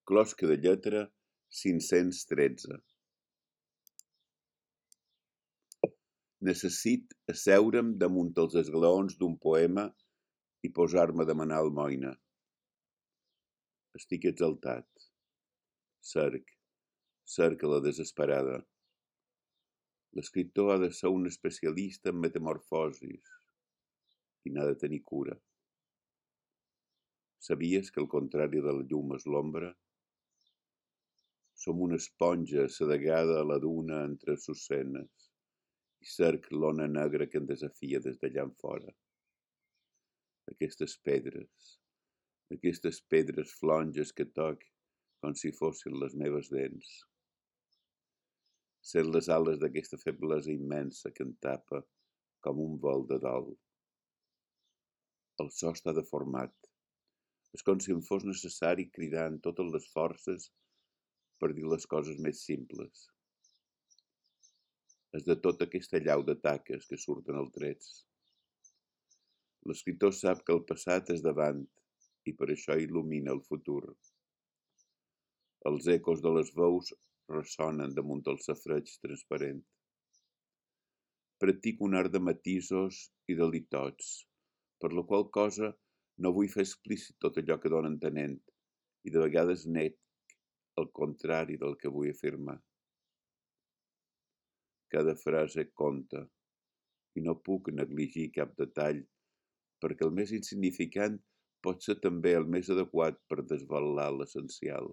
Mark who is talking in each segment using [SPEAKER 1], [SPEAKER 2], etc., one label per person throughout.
[SPEAKER 1] Closca de lletra 513. Necessit asseure'm damunt els esglaons d'un poema i posar-me a demanar almoina. Estic exaltat. Cerc a la desesperada. L'escriptor ha de ser un especialista en metamorfosis i n'ha de tenir cura. Sabies que el contrari de la llum és l'ombra? Som una esponja assedegada a la duna entre sucenes i cerc l'ona negra que em desafia des d'allà en fora. Aquestes pedres flonges que toc com si fossin les meves dents. Sent les ales d'aquesta feblesa immensa que em tapa com un vol de dol. El so està deformat. És com si em fos necessari cridar amb totes les forces per dir les coses més simples. És de tota aquesta llau de taques que surten els trets. L'escriptor sap que el passat és davant i per això il·lumina el futur. Els ecos de les veus ressonen damunt el safareig transparent. Practico un art de matisos i de litots, per la qual cosa no vull fer explícit tot allò que dono entenent i de vegades nec el contrari del que vull afirmar. Cada frase compta i no puc negligir cap detall perquè el més insignificant pot ser també el més adequat per desvelar l'essencial.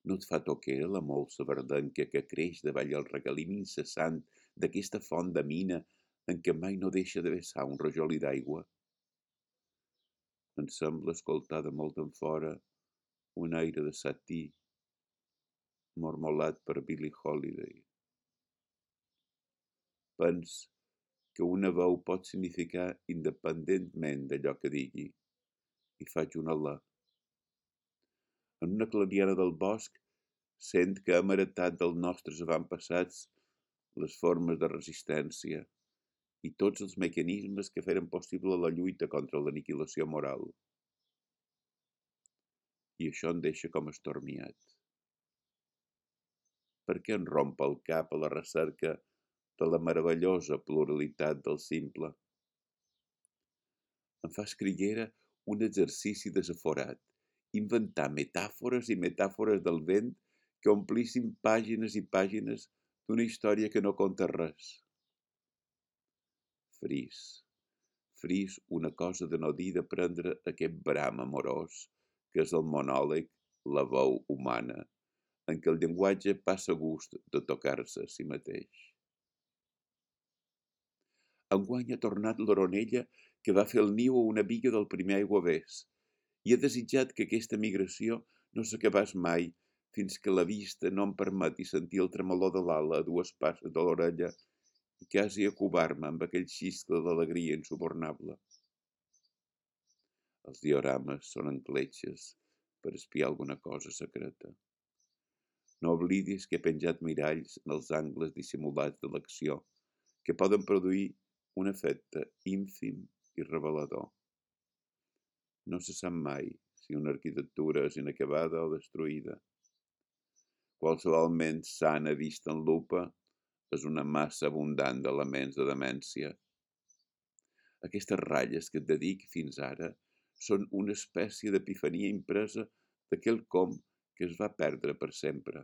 [SPEAKER 1] No et fa toquera la molsa verdenca que creix davall el regalim incessant d'aquesta font de mina en què mai no deixa de vessar un rajolí d'aigua? Em sembla escoltar de molt en fora un aire de Satí mormolat per Billie Holiday. Pens que una veu pot significar independentment d'allò que digui i faig un alè. En una clariana del bosc sent que hem heretat dels nostres avantpassats les formes de resistència i tots els mecanismes que feren possible la lluita contra l'aniquilació moral. I això em deixa com estormiat. Per què em romp el cap a la recerca de la meravellosa pluralitat del simple? Em fa escriguera un exercici desaforat, inventar metàfores i metàfores del vent que omplissin pàgines i pàgines d'una història que no conta res. Fris una cosa de no dir de prendre aquest bram amorós que és el monòleg, la veu humana, en què el llenguatge passa gust de tocar-se a si mateix. Enguany ha tornat l'oronella que va fer el niu a una biga del primer aiguavés i he desitjat que aquesta migració no s'acabés mai fins que la vista no em permeti sentir el tremolor de l'ala a dues passes de l'orella i quasi acobar-me amb aquell xiscle d'alegria insubornable. Els diorames són encletxes per espiar alguna cosa secreta. No oblidis que he penjat miralls en els angles dissimulats de l'acció que poden produir un efecte ínfim i revelador. No se sap mai si una arquitectura és inacabada o destruïda. Qualsevol ment sana vista en lupa és una massa abundant d'elements de demència. Aquestes ratlles que et dedic fins ara són una espècie d'epifania impresa de quelcom que es va perdre per sempre.